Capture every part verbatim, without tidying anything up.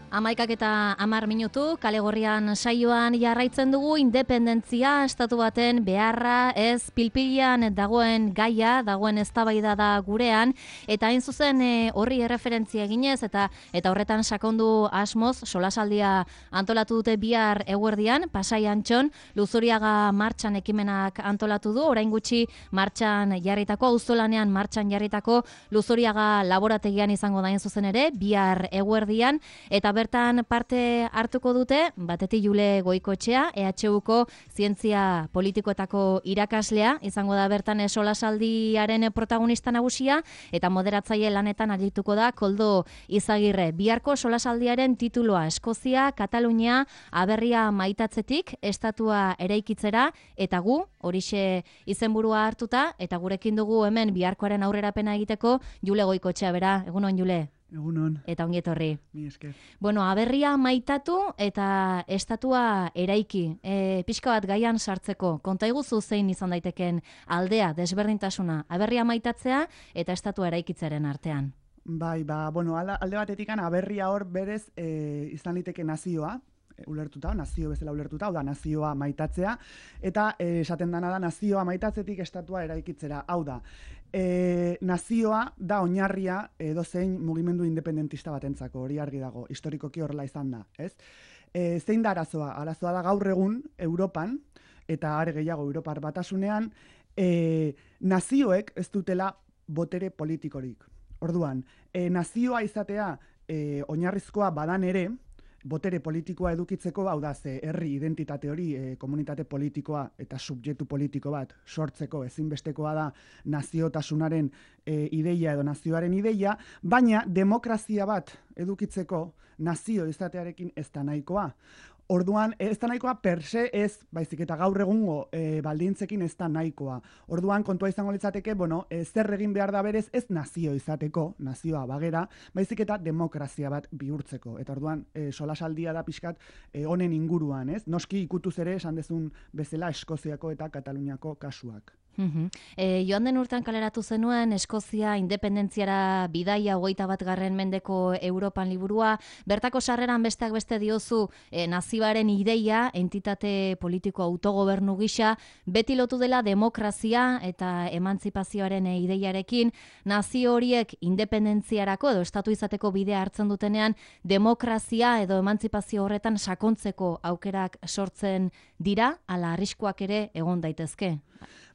Amaikak eta amar minutu, kale gorrian saioan jarraitzen dugu independentzia, estatu baten beharra, ez pilpilian dagoen gaia, dagoen eztabaida da gurean, eta hain zuzen e, horri erreferentzia eginez, eta eta horretan sakondu asmoz, solasaldia antolatu dute bihar eguerdian, Pasai Antxon, Luzuriaga martxan ekimenak antolatu du, orain gutxi martxan jarritako, auzolanean martxan jarritako, Luzuriaga laborategian izango da hain zuzen ere, bihar eguerdian, eta bertan parte hartuko dute, batetik Jule Goikoetxea, E H Uko zientzia politikoetako irakaslea, izango da bertan solasaldiaren protagonista nagusia, eta moderatzaile lanetan arituko da Koldo Izagirre. Biharko solasaldiaren tituloa Eskozia, Katalunia, aberria maitatzetik, estatua eraikitzera, eta gu, horixe izenburua hartuta, eta gurekin dugu hemen biharkoaren aurrerapena egiteko Jule Goikoetxea, bera, egunon Jule? Egunon. Eta ongi etorri. Mi esker. Bueno, aberria maitatu eta estatua eraiki. E, pixka bat gaian sartzeko. Konta iguzu zein izan daiteken aldea, desberdintasuna. Aberria maitatzea eta estatua eraikitzaren artean. Bai, ba, bueno, alde batetikan aberria hor berez e, izan liteke nazioa, ulertuta, nazio bezala ulertuta, hau da nazioa maitatzea, eta e, esaten dana da nazioa maitatzetik estatua eraikitzera. Hau da, e, nazioa da oinarria edozein mugimendu independentista batentzako, hori argi dago, historikoki horrela izan da, ez? E, zein da arazoa? Arazoa da gaur egun Europan, eta are gehiago Europar batasunean, e, nazioek ez dutela botere politikorik. Orduan, e, nazioa izatea e, oinarrizkoa badan ere, botere politikoa edukitzeko, hau da, ze herri identitate hori, e, komunitate politikoa eta subjektu politiko bat sortzeko ezinbestekoa da naziotasunaren e, ideia edo nazioaren ideia, baina demokrazia bat edukitzeko nazio izatearekin ez da nahikoa. Orduan, ez da nahikoa per se ez, baizik eta gaur egungo e, baldintzekin ez da nahikoa. Orduan, kontua izango litzateke, bueno, e, zer egin behar da berez ez nazio izateko, nazioa bagera, baizik eta demokrazia bat bihurtzeko. Eta orduan, e, solasaldia da pixkat e, honen inguruan, ez? Noski ikutuz ere, esan dezun bezala Eskoziako eta Kataluniako kasuak. Uhum. E, joan den urtean kaleratu zenuen Eskozia independentziara bidaia hogeita bat garren mendeko Europan liburua, bertako sarreran besteak beste diozu e, nazioaren ideia, entitate politiko autogobernu gisa, beti lotu dela demokrazia eta emantzipazioaren e, ideiarekin, nazio horiek independentziarako edo estatu izateko bidea hartzen dutenean, demokrazia edo emantzipazio horretan sakontzeko aukerak sortzen dira, ala arriskuak ere egon daitezke.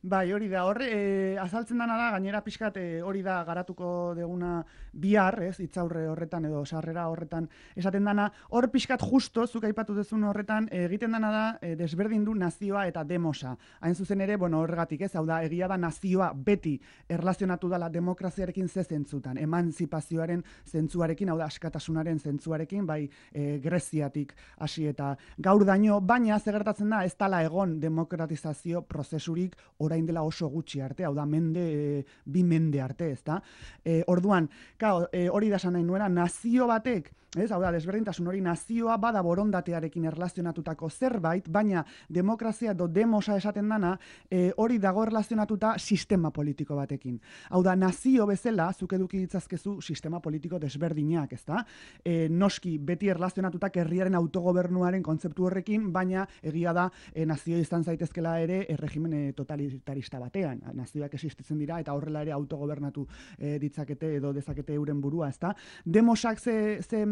Bai, hori da, hor, e, azaltzen dana da, gainera pixkat e, hori da garatuko deguna bihar, ez, hitzaurre horretan edo sarrera horretan esaten dana, hor pixkat justo, zuk aipatu dezun horretan, e, egiten dana da, e, desberdin du nazioa eta demosa. Hain zuzen ere, bueno, horregatik ez, hau da, egia da nazioa beti erlazionatu dela demokraziarekin ze zentzutan, emantzipazioaren zentzuarekin, hau da, askatasunaren zentzuarekin, bai, e, Greziatik hasi eta gaur daño, baina zegertatzen da, ez dala egon demokratizazio prozesurik orain dela oso gutxi arte, hau da mende, e, bi mende arte, ez da? E, orduan, kao, e, hori da esan nahi nuena, nazio batek, ez, hau da, desberdintasun hori nazioa bada borondatearekin erlazionatutako zerbait, baina demokrazia edo demosa esaten dana, e, hori dago erlazionatuta sistema politiko batekin. Hau da, nazio bezala, zuk eduki ditzazkezu sistema politiko desberdinak, ez da? E, noski, beti erlazionatutak herriaren autogobernuaren kontzeptu horrekin, baina egia da, e, nazio izan zaitezkela ere, erregimen e, totalitarista batean. Nazioak existitzen dira eta horrela ere autogobernatu e, ditzakete edo dezakete euren burua, ezta? Demosak ze, ze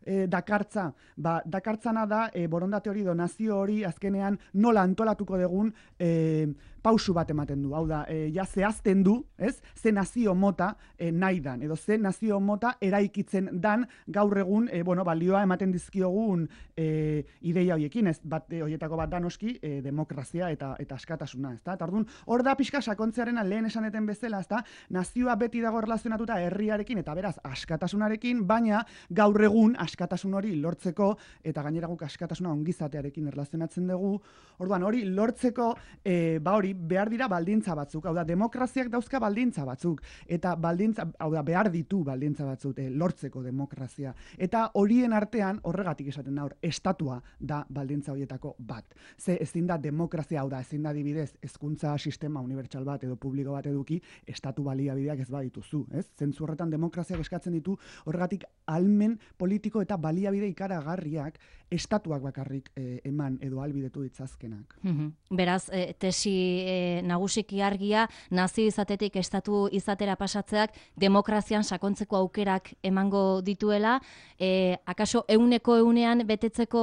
e, dakartza, ba, dakartzana da e, borondate hori do nazio hori azkenean nola antolatuko dugun e, pausu bat ematen du. Hau da, e, ja zehazten du, ez? Ze nazio mota e, nahi dan, edo ze nazio mota eraikitzen dan gaur egun, e, bueno, balioa ematen dizkiogun e, ideia horiekin, ez? Bat, e, horietako bat da noski, e, demokrazia eta, eta askatasuna, ezta? Eta orduan, hor da pixka sakontzearen lehen esaneten bezala, ezta? Nazioa beti dago erlazionatuta herriarekin eta beraz askatasunarekin, baina gaur egun askatasun hori lortzeko eta gainera guk askatasuna ongizatearekin erlazionatzen dugu. Orduan, hori lortzeko, e, ba hori behar dira baldintza batzuk, hau da, demokraziak dauzka baldintza batzuk, eta baldintza, hau da, behar ditu baldintza batzuk, eh, lortzeko demokrazia. Eta horien artean, horregatik esaten da hor, estatua da baldintza horietako bat. Ze ezin da demokrazia, hau da, ezin da adibidez, hezkuntza sistema unibertsal bat edo publiko bat eduki, estatu baliabideak ez badituzu, ez? Zentzu horretan demokraziak eskatzen ditu, horregatik almen politiko eta baliabide ikaragarriak estatuak bakarrik eh, eman edo albidetu ditzazkenak. Mhm. Beraz, e, tesi e, nagusiki argia, nazio izatetik estatu izatera pasatzeak demokrazian sakontzeko aukerak emango dituela, e, akaso euneko eunean betetzeko,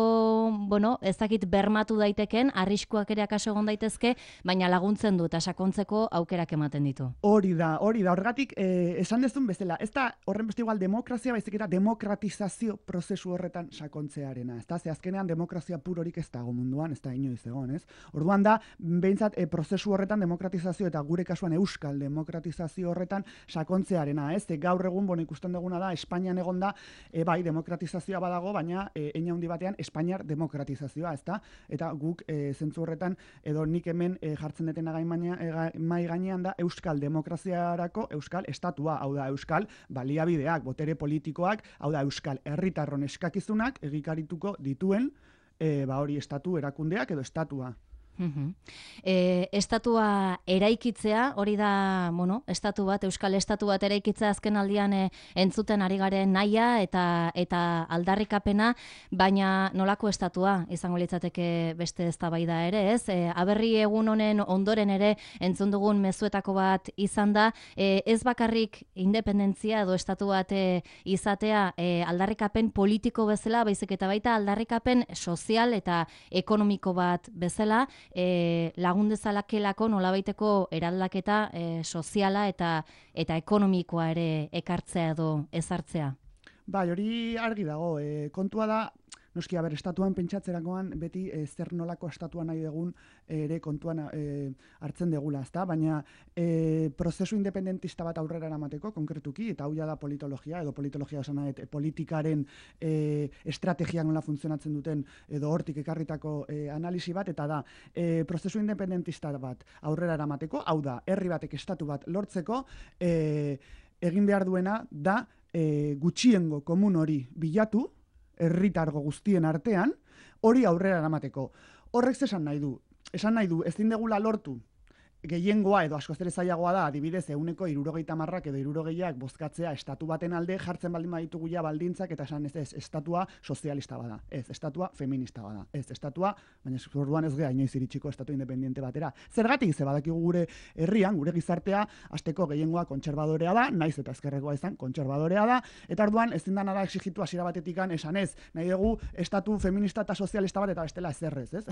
bueno, ez dakit bermatu daiteken, arriskuak ere akaso egon daitezke, baina laguntzen du eta sakontzeko aukerak ematen ditu. Hori da, hori da, horregatik eh, esan dezun bezala, ez da horren beste igual demokrazia, baizik eta demokratizazio prozesu horretan sakontzearena, ez da, ze azkenean demokrazia purorik ez dago munduan, ez da inoiz egon, ez? Orduan da, behintzat, e, prozesu horretan demokratizazio eta gure kasuan euskal demokratizazio horretan sakontzearena, ez? E, gaur egun, bueno, ikusten duguna da, Espainian egon da, e, bai, demokratizazioa badago, baina e, hein handi batean Espainiar demokratizazioa, ez da? Eta guk e, zentzu horretan, edo nik hemen e, jartzen detena e, mai gainean da, euskal demokraziarako euskal estatua, hau da, euskal baliabideak, botere politikoak, hau da, euskal herritarron eskakizunak egikarituko dituen, e, ba hori estatu erakundeak edo estatua. Mhm. E, estatua eraikitzea, hori da, bueno, estatu bat, euskal estatu bat eraikitzea azken aldian e, entzuten ari garen naia eta eta aldarrikapena, baina nolako estatua izango litzateke beste eztabaida ere, ez? E, aberri egun honen ondoren ere entzun dugun mezuetako bat izan da, e, ez bakarrik independentzia edo estatu bat e, izatea e, aldarrikapen politiko bezala, baizik eta baita aldarrikapen sozial eta ekonomiko bat bezala, E, lagun dezalakelako nolabaiteko eraldaketa e, soziala eta eta ekonomikoa ere ekartzea edo ezartzea. Bai, hori argi dago. E, kontua da, noski, aber, estatuan pentsatzerakoan beti e, zer nolako estatua nahi dugun ere kontuan e, hartzen degula, ezta? Baina e, prozesu independentista bat aurrera eramateko, konkretuki, eta hau da politologia, edo politologia esan nahi, politikaren e, estrategiak nola funtzionatzen duten, edo hortik ekarritako e, analisi bat, eta da, e, prozesu independentista bat aurrera eramateko, hau da, herri batek estatu bat lortzeko, e, egin behar duena da e, gutxiengo komun hori bilatu, herritargo guztien artean, hori aurrera eramateko. Horrek esan nahi du, esan nahi du, ezin degula lortu gehiengoa edo askoz ere zailagoa da, adibidez, ehuneko hirurogeita hamarrak edo hirurogeiak bozkatzea estatu baten alde jartzen baldin baditugu ja baldintzak eta esan ez, ez, estatua sozialista bada, ez, estatua feminista bada, ez, estatua, baina orduan ez gea inoiz iritsiko estatu independiente batera. Zergatik ze badakigu gure herrian, gure gizartea, hasteko gehiengoa kontserbadorea da, naiz eta ezkerrekoa izan, kontserbadorea da, eta orduan ezin dana da exigitu hasiera batetikan esan ez, nahi dugu estatu feminista eta sozialista bat eta bestela ezerrez, ez?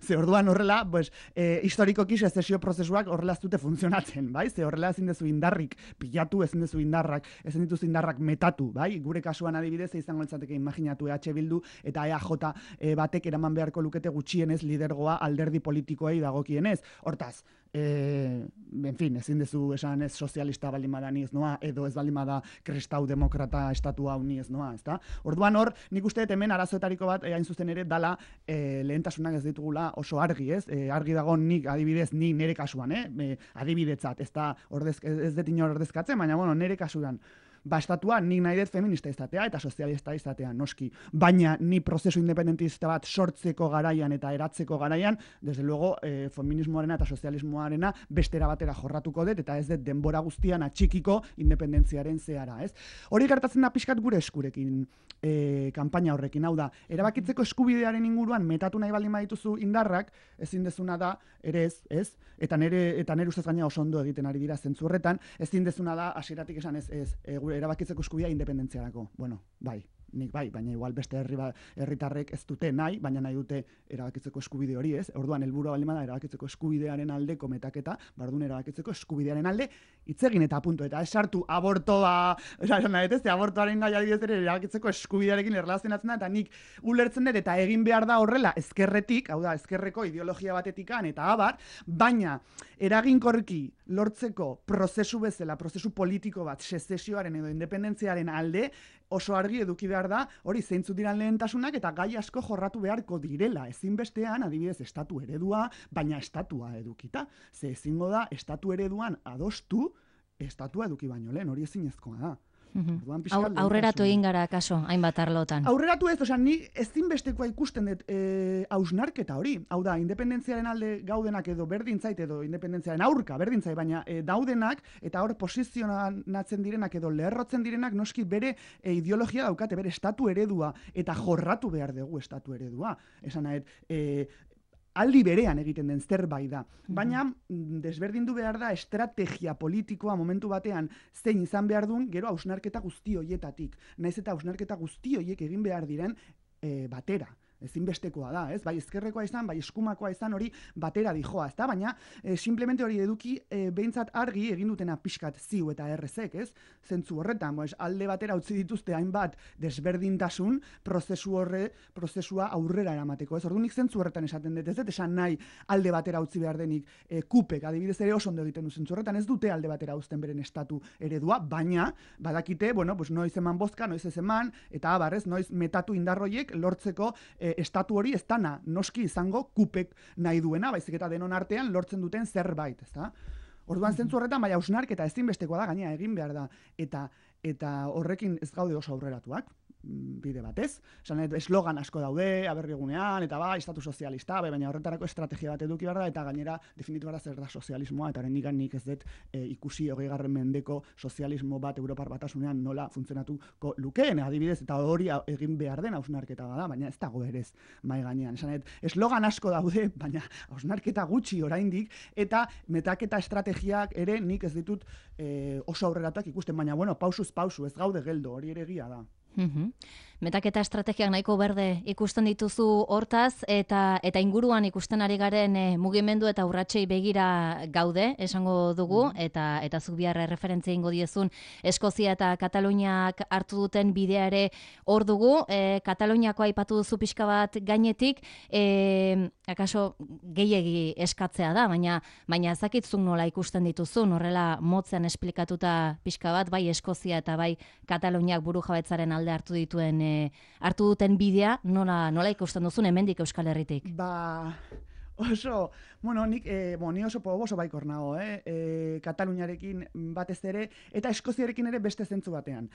Ze orduan horrela, pues, eh, historikoki sezesio prozesu horrela ez dute funtzionatzen, bai? Ze horrela ezin dezu indarrik pilatu, ezin dezu indarrak, ezin dituzu indarrak metatu, bai? Gure kasuan adibidez izango litzateke imaginatu E H Bildu eta E A J e, batek eraman beharko lukete gutxienez lidergoa alderdi politikoei dagokienez. Hortaz, e, en fin, ezin dezu esan ez sozialista baldin bada ni ez noa, edo ez baldin bada kristau demokrata estatua hau ni ez noa, ezta? Orduan hor, nik uste dut hemen arazoetariko bat hain zuzen ere dala e, lehentasunak ez ditugula oso argi, ez? E, argi dago nik adibidez ni nere kasuan, eh? E, adibidetzat, ez da ordez, ez dut inor ordezkatzen, baina bueno, nere kasuan ba, estatua nik nahi dut feminista izatea eta sozialista izatea, noski. Baina ni prozesu independentista bat sortzeko garaian eta eratzeko garaian, desde luego, eh, feminismoarena eta sozialismoarena bestera batera jorratuko dut, eta ez dut denbora guztian atxikiko independentziaren zehara, ez? Hori gertatzen da pixkat gure eskurekin, eh, kanpaina horrekin, hau da, erabakitzeko eskubidearen inguruan metatu nahi baldin badituzu indarrak, ezin dezuna da, ere ez, ez? Eta nere, eta nere ustez gaina oso ondo egiten ari dira zentzu horretan, ezin dezuna da, hasieratik esan ez, ez, e, gure erabakitzeko eskubidea independentziarako. Bueno, bai, nik bai, baina igual beste herri ba, herritarrek ez dute nahi, baina nahi dute erabakitzeko eskubide hori, ez? Orduan helburua baldin bada erabakitzeko eskubidearen aldeko metaketa, bardun erabakitzeko eskubidearen alde hitz egin eta punto, eta ez sartu abortoa, esan nahi, ez? Abortoaren nahi adibidez ere erabakitzeko eskubidearekin erlazionatzen da, eta nik ulertzen dut eta egin behar da horrela ezkerretik, hau da, ezkerreko ideologia batetikan eta abar, baina eraginkorki lortzeko prozesu bezala, prozesu politiko bat, sezesioaren edo independentziaren alde, oso argi eduki behar da, hori zeintzu diran lehentasunak eta gai asko jorratu beharko direla. Ezinbestean, adibidez, estatu eredua, baina estatua edukita. Ze ezingo da, estatu ereduan adostu, estatua eduki baino lehen, hori ezinezkoa da. Aur, aurreratu egin gara kaso, hainbat arlotan. Aurreratu ez, osea, ni ezinbestekoa ikusten dut e, hausnarketa hori. Hau da, independentziaren alde gaudenak edo berdintzait edo independentziaren aurka berdintzait, baina e, daudenak eta hor posizionatzen direnak edo leherrotzen direnak noski bere e, ideologia daukate, bere estatu eredua eta jorratu behar dugu estatu eredua. Esan nahet, e, aldi berean egiten den zerbait da. Baina desberdindu behar da estrategia politikoa momentu batean zein izan behar duen gero hausnarketa guzti hoietatik. Naiz eta hausnarketa guzti hoiek egin behar diren e, batera. Ezinbestekoa da, ez? Bai ezkerrekoa izan, bai eskumakoa izan hori batera dijoa, ezta? Baina e, simplemente hori eduki e, behintzat argi egin dutena pixkat ziu eta errezek, ez? Zentzu horretan, boez, alde batera utzi dituzte hainbat desberdintasun prozesu horre, prozesua aurrera eramateko, ez? Orduan nik zentzu horretan esaten dut, ez dut esan nahi alde batera utzi behar denik e, kupek, adibidez ere oso ondo egiten du zentzu horretan, ez dute alde batera uzten beren estatu eredua, baina badakite, bueno, pues noiz eman bozka, noiz ez eman, eta abarrez, noiz metatu indarroiek lortzeko e, estatu hori ez dana noski izango kupek nahi duena, baizik eta denon artean lortzen duten zerbait, ezta? Orduan zentzu horretan, baina hausnarketa ezinbestekoa da, gainera egin behar da, eta eta horrekin ez gaude oso aurreratuak, bide batez. Esan, eslogan asko daude, aberrigunean, eta bai, estatu sozialista, bai, baina horretarako estrategia bat eduki behar da, eta gainera definitu behar da zer da sozialismoa, eta horrendik nik ez dut e, ikusi hogeigarren mendeko sozialismo bat Europar Batasunean nola funtzionatuko lukeen, adibidez, eta hori egin behar den hausnarketa da, baina ez dago berez mai gainean. Esan, eslogan asko daude, baina hausnarketa gutxi oraindik, eta metaketa estrategiak ere nik ez ditut e, oso aurreratuak ikusten, baina bueno, pausuz pausu, ez gaude geldo, hori ere egia da. Uhum. Metaketa estrategiak nahiko berde ikusten dituzu hortaz, eta eta inguruan ikusten ari garen e, mugimendu eta urratsei begira gaude, esango dugu, mm. eta eta zuk bihar referentzia ingo diezun Eskozia eta Kataluniak hartu duten bidea ere hor dugu. E, Kataluniako aipatu duzu pixka bat gainetik, e, akaso gehiegi eskatzea da, baina baina ezakitzuk nola ikusten dituzun, horrela motzean esplikatuta pixka bat, bai Eskozia eta bai Kataluniak burujabetzaren alde hartu dituen e, hartu duten bidea, nola, nola ikusten duzun hemendik Euskal Herritik? Ba, oso, bueno, nik, e, bon, ni oso oso baikor nago, eh? E, Kataluniarekin batez ere, eta Eskoziarekin ere beste zentzu batean.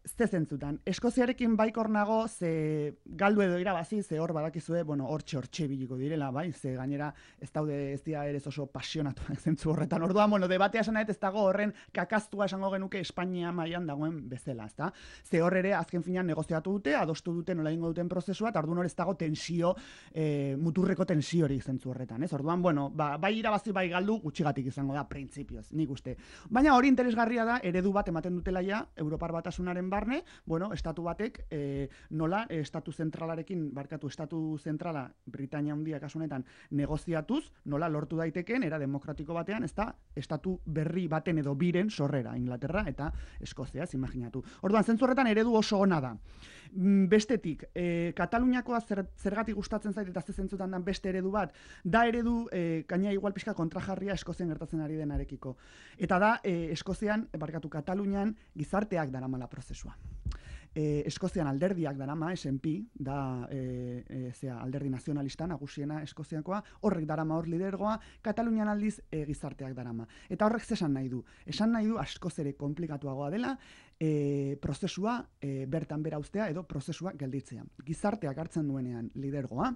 Ze zentzutan. Eskoziarekin baikor nago, ze galdu edo irabazi, ze hor badakizue, bueno, hortxe hortxe biliko direla, bai, ze gainera ez daude ez dira ere oso pasionatuak zentzu horretan. Orduan, bueno, debatea esan ez dago horren kakaztua esango genuke Espainia mailan dagoen bezala, ezta? Ze hor ere azken finean negoziatu dute, adostu dute nola egingo duten prozesua, eta orduan hor ez dago tensio, e, muturreko tensio hori zentzu horretan, ez? Orduan, bueno, ba, bai irabazi bai galdu gutxigatik izango da printzipioz, nik uste. Baina hori interesgarria da, eredu bat ematen dutela ja Europar Batasunaren barne, bueno, estatu batek e, nola e, estatu zentralarekin, barkatu estatu zentrala Britania Handia kasu honetan negoziatuz, nola lortu daiteken era demokratiko batean, ez da estatu berri baten edo biren sorrera Inglaterra eta Eskozia, ez imaginatu. Orduan zentzu horretan eredu oso ona da. Bestetik, e, Kataluniakoa zer, zergatik gustatzen zait eta ze zentzutan dan beste eredu bat, da eredu e, gaina igual pixka kontrajarria Eskozian gertatzen ari denarekiko. Eta da, e, Eskozian, barkatu Katalunian, gizarteak daramala prozesua. E, Eskozian alderdiak darama, S and P, da e, e, zera, alderdi nazionalista nagusiena Eskoziakoa, horrek darama hor lidergoa, Katalunian aldiz e, gizarteak darama. Eta horrek zesan nahi du? Esan nahi du askoz ere komplikatuagoa dela, e, prozesua e, bertan bera ustea edo prozesua gelditzea. Gizarteak hartzen duenean lidergoa,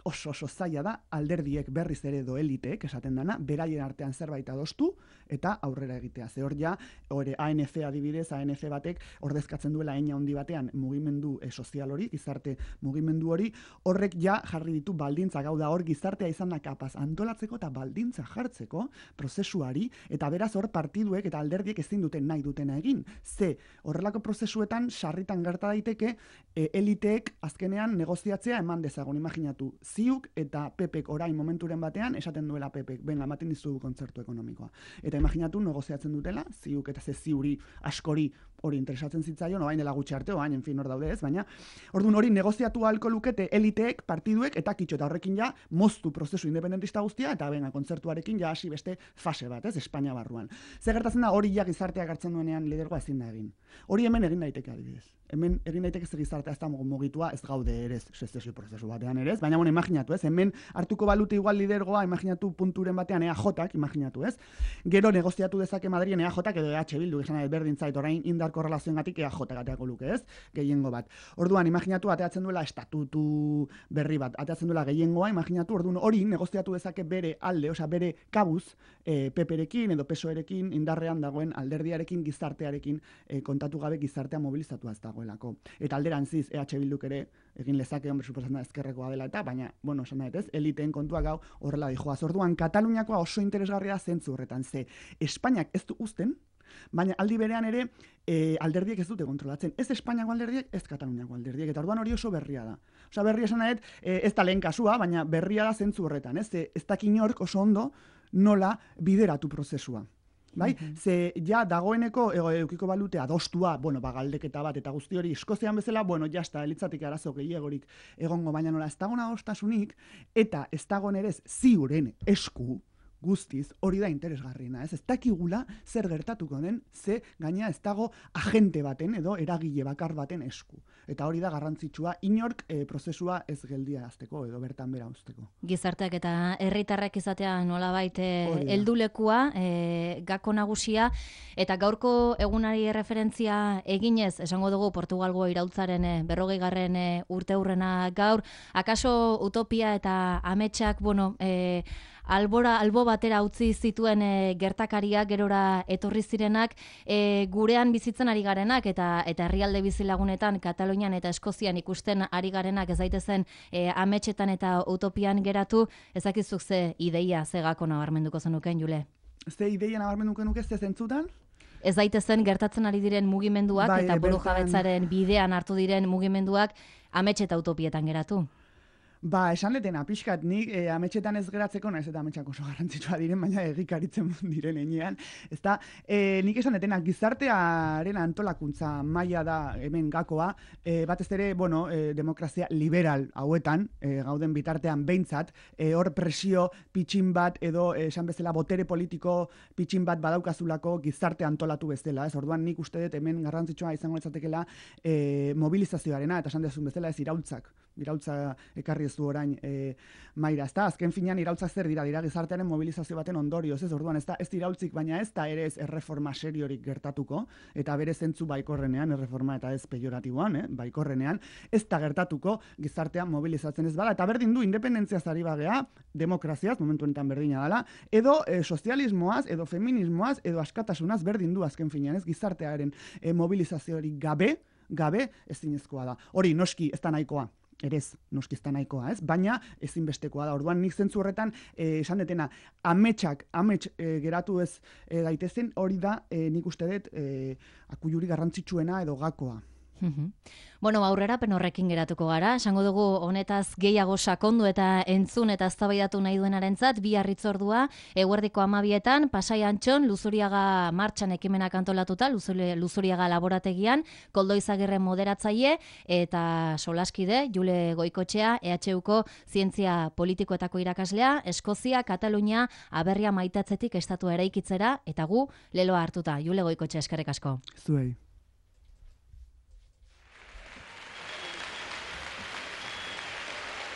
oso oso zaila da alderdiek berriz ere edo eliteek esaten dana, beraien artean zerbait adostu eta aurrera egitea. Ze hor ja, hori A N F adibidez, A N F batek ordezkatzen duela heina handi batean mugimendu e, sozial hori, gizarte mugimendu hori, horrek ja jarri ditu baldintza, gau da hor gizartea izan da kapaz antolatzeko eta baldintza jartzeko prozesuari, eta beraz hor partiduek eta alderdiek ezin duten nahi dutena egin. Ze horrelako prozesuetan sarritan gerta daiteke e, eliteek azkenean negoziatzea eman dezagun, imaginatu. Ziuk eta Pepek orain momenturen batean esaten duela Pepek, benga, ematen dizu kontzertu ekonomikoa. Eta imaginatu negoziatzen dutela, ziuk eta ze ziuri askori hori interesatzen zitzaion, orain dela gutxi arte, orain, en fin, hor daude ez, baina, orduan hori negoziatu ahalko lukete eliteek, partiduek, eta kitxo, eta horrekin ja, moztu prozesu independentista guztia, eta benga, kontzertuarekin ja hasi beste fase bat, ez, Espainia barruan. Zer gertatzen da, hori ja gizarteak hartzen duenean lidergoa ezin da egin. Hori hemen egin daiteke adibidez. Hemen egin daiteke ze gizartea ez da mugitua, ez gaude ere, sezesio prozesu batean ere, ez, baina, bueno, imaginatu, ez, hemen hartuko balute igual lidergoa, imaginatu punturen batean E A Jak, imaginatu, ez, gero negoziatu dezake Madrien E A Jak edo E H Bildu, esan berdin zait, orain indar korrelazioengatik E A Jak ateako luke, ez? Gehiengo bat. Orduan, imaginatu ateatzen duela estatutu berri bat, ateatzen duela gehiengoa, imaginatu, orduan hori negoziatu dezake bere alde, osea bere kabuz, e, P P-rekin edo P S O E-rekin indarrean dagoen alderdiarekin, gizartearekin e, kontatu gabe gizartea mobilizatua ez dagoelako. Eta alderantziz E H Bilduk ere egin lezake, hombre, suposatzen da ezkerrekoa dela eta, baina, bueno, esan nahi, ez, eliteen kontua gau horrela dijoaz. Orduan, Kataluniakoa oso interesgarria zentzu horretan, ze Espainiak ez du uzten, baina aldi berean ere e, alderdiek ez dute kontrolatzen. Ez Espainiako alderdiek, ez Kataluniako alderdiek, eta orduan hori oso berria da. Osa berria esan nahi, e, ez da lehen kasua, baina berria da zentzu horretan, ez, ez da kinork oso ondo nola bideratu prozesua. Bai? Mm-hmm. Ze ja dagoeneko eukiko balute adostua, bueno, ba, galdeketa bat eta guzti hori Eskozian bezala, bueno, jasta, elitzatik arazo gehiagorik egongo, baina nola ez dagoen adostasunik, eta ez dagoen ere ziuren esku, guztiz, hori da interesgarriena, ez? Ez dakigula zer gertatuko den, ze gaina ez dago agente baten edo eragile bakar baten esku. Eta hori da garrantzitsua, inork e, prozesua ez geldiarazteko edo bertan bera uzteko. Gizarteak eta herritarrak izatea nolabait heldulekua, e, gako nagusia, eta gaurko egunari referentzia eginez, esango dugu Portugalgo iraultzaren e, berrogeigarren e, urte hurrena gaur, akaso utopia eta ametsak, bueno, e, albora, albo batera utzi zituen e, gertakariak gerora etorri zirenak, e, gurean bizitzen ari garenak eta eta herrialde bizilagunetan Katalunian eta Eskozian ikusten ari garenak ez daitezen e, ametsetan eta utopian geratu, ezakizuk ze ideia, ze gako nabarmenduko zenuken, Jule? Ze ideia nabarmenduko nuke ze zentzutan? Ez daitezen gertatzen ari diren mugimenduak bai, eta burujabetzaren bidean hartu diren mugimenduak amets eta utopietan geratu. Ba, esan letena, pixkat, nik e, ametxetan ez geratzeko, naiz eta ametxak oso garrantzitsua diren, baina egikaritzen diren enean. Ezta, e, nik esan letena, gizartearen antolakuntza maila da hemen gakoa, e, batez ere, bueno, e, demokrazia liberal hauetan, e, gauden bitartean behintzat, e, hor presio pitxin bat edo e, esan bezala botere politiko pitxin bat badaukazulako gizarte antolatu bezala. Ez, orduan nik uste dut hemen garrantzitsua izango etzatekela e, mobilizazioarena, eta esan dezun bezala ez iraultzak. Iraultza ekarri ez du orain e, maira, ez da, azken finean iraultzak zer dira, dira gizartearen mobilizazio baten ondorioz, ez orduan, ez da, ez iraultzik, baina ez da ere ez erreforma seriorik gertatuko, eta bere zentzu baikorrenean, erreforma eta ez pejoratiboan, eh, baikorrenean, ez da gertatuko gizartean mobilizatzen ez bada, eta berdin du, independentziaz ari bagea, demokraziaz, momentu honetan berdina dela, edo e, sozialismoaz, edo feminismoaz, edo askatasunaz berdin du azken finean, ez gizartearen e, mobilizaziorik gabe, gabe ezinezkoa da. Hori, noski, ez da nahikoa. Erez, noski ez da nahikoa, ez? Baina ezinbestekoa da. Orduan nik zentzu horretan eh, esan detena, ametsak, amets eh, geratu ez eh, daitezen, hori da eh, nik uste dut eh, akuyuri garrantzitsuena edo gakoa. Bueno, aurrerapen horrekin geratuko gara, esango dugu honetaz gehiago sakondu eta entzun eta eztabaidatu nahi duenarentzat bi harritzordua eguerdiko hamabietan Pasai Antxon Luzuriaga martxan ekimenak antolatuta, Luzuriaga laborategian, Koldo Izagirre moderatzaile eta solaskide Jule Goikotxea, E H Uko zientzia politikoetako irakaslea, Eskozia, Katalunia, aberria maitatzetik estatua eraikitzera eta gu leloa hartuta. Jule Goikotxea, eskerrik asko. Zuei.